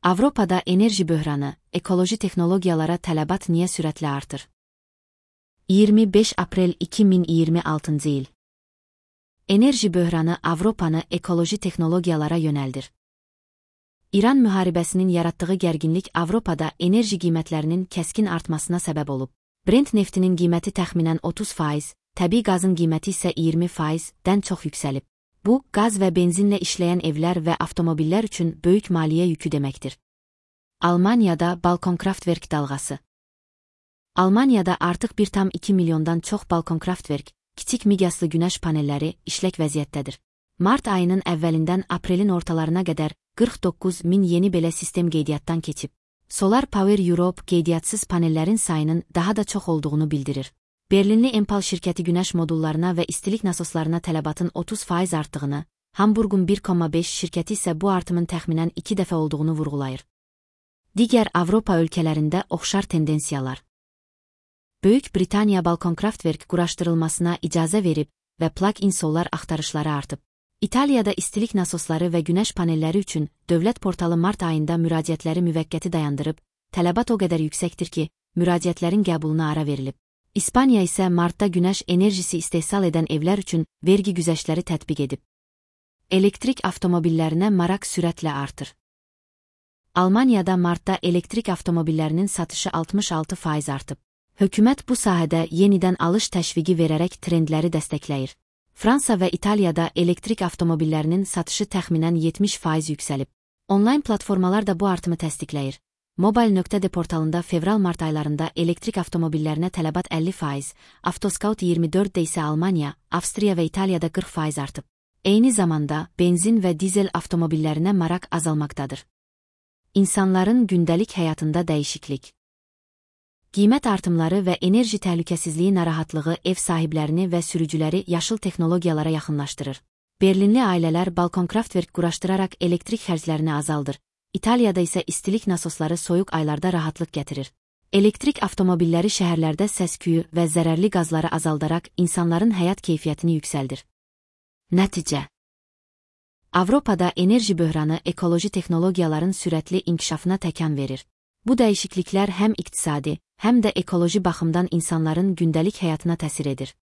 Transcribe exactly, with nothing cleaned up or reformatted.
Avropada enerji böhranı, ekoloji texnologiyalara tələbat niyə sürətlə artır? iyirmi beş aprel iki min iyirmi altıncı il. Enerji böhranı Avropanı ekoloji texnologiyalara yönəldir. İran müharibəsinin yaratdığı gərginlik Avropada enerji qiymətlərinin kəskin artmasına səbəb olub. Brent neftinin qiyməti təxminən otuz faiz, təbii qazın qiyməti isə iyirmi faizdən çox yüksəlib. Bu, qaz və benzinlə işləyən evlər və avtomobillər üçün böyük maliyyə yükü deməkdir. Almaniyada balkonkraftverk dalğası. Almaniyada artıq bir tam iki milyondan çox balkonkraftverk, kiçik miqyaslı günəş panelləri işlək vəziyyətdədir. Mart ayının əvvəlindən aprelin ortalarına qədər qırx doqquz min yeni belə sistem qeydiyyatdan keçib. Solar Power Europe qeydiyyatçız panellərin sayının daha da çox olduğunu bildirir. Berlinli Enpal şirkəti günəş modullarına və istilik nasoslarına tələbatın otuz faiz artdığını, Hamburgun bir komma beş şirkəti isə bu artımın təxminən iki dəfə olduğunu vurğulayır. Digər Avropa ölkələrində oxşar tendensiyalar. Böyük Britaniya balkonkraftverk quraşdırılmasına icazə verib və plug-in solar axtarışları artıb. İtaliyada istilik nasosları və günəş panelləri üçün dövlət portalı mart ayında müraciətləri müvəqqəti dayandırıb, tələbat o qədər yüksəkdir ki, müraciətlərin qəbuluna ara verilib. İspaniya isə martda günəş enerjisi istehsal edən evlər üçün vergi güzəştləri tətbiq edib. Elektrik avtomobillərinə maraq sürətlə artır. Almaniyada martda elektrik avtomobillərinin satışı altmış altı faiz artıb. Hökumət bu sahədə yenidən alış təşviqi verərək trendləri dəstəkləyir. Fransa və İtaliyada elektrik avtomobillərinin satışı təxminən yetmiş faiz yüksəlib. Onlayn platformalar da bu artımı təsdiqləyir. Mobile.de portalında fevral-mart aylarında elektrik avtomobillərinə tələbat əlli faiz, Avtoscout iyirmi dörddə isə Almaniya, Avstriya və İtaliyada qırx faiz artıb. Eyni zamanda benzin və dizel avtomobillərinə maraq azalmaqdadır. İnsanların gündəlik həyatında dəyişiklik. Qiymət artımları və enerji təhlükəsizliyi narahatlığı ev sahiblərini və sürücüləri yaşıl texnologiyalara yaxınlaşdırır. Berlinli ailələr balkonkraftverk quraşdıraraq elektrik xərclərini azaldır. İtaliyada isə istilik nasosları soyuq aylarda rahatlıq gətirir. Elektrik avtomobilləri şəhərlərdə səs-küyü və zərərli qazları azaldaraq insanların həyat keyfiyyətini yüksəldir. Nəticə. Avropada enerji böhranı ekoloji texnologiyaların sürətli inkişafına təkan verir. Bu dəyişikliklər həm iqtisadi, həm də ekoloji baxımdan insanların gündəlik həyatına təsir edir.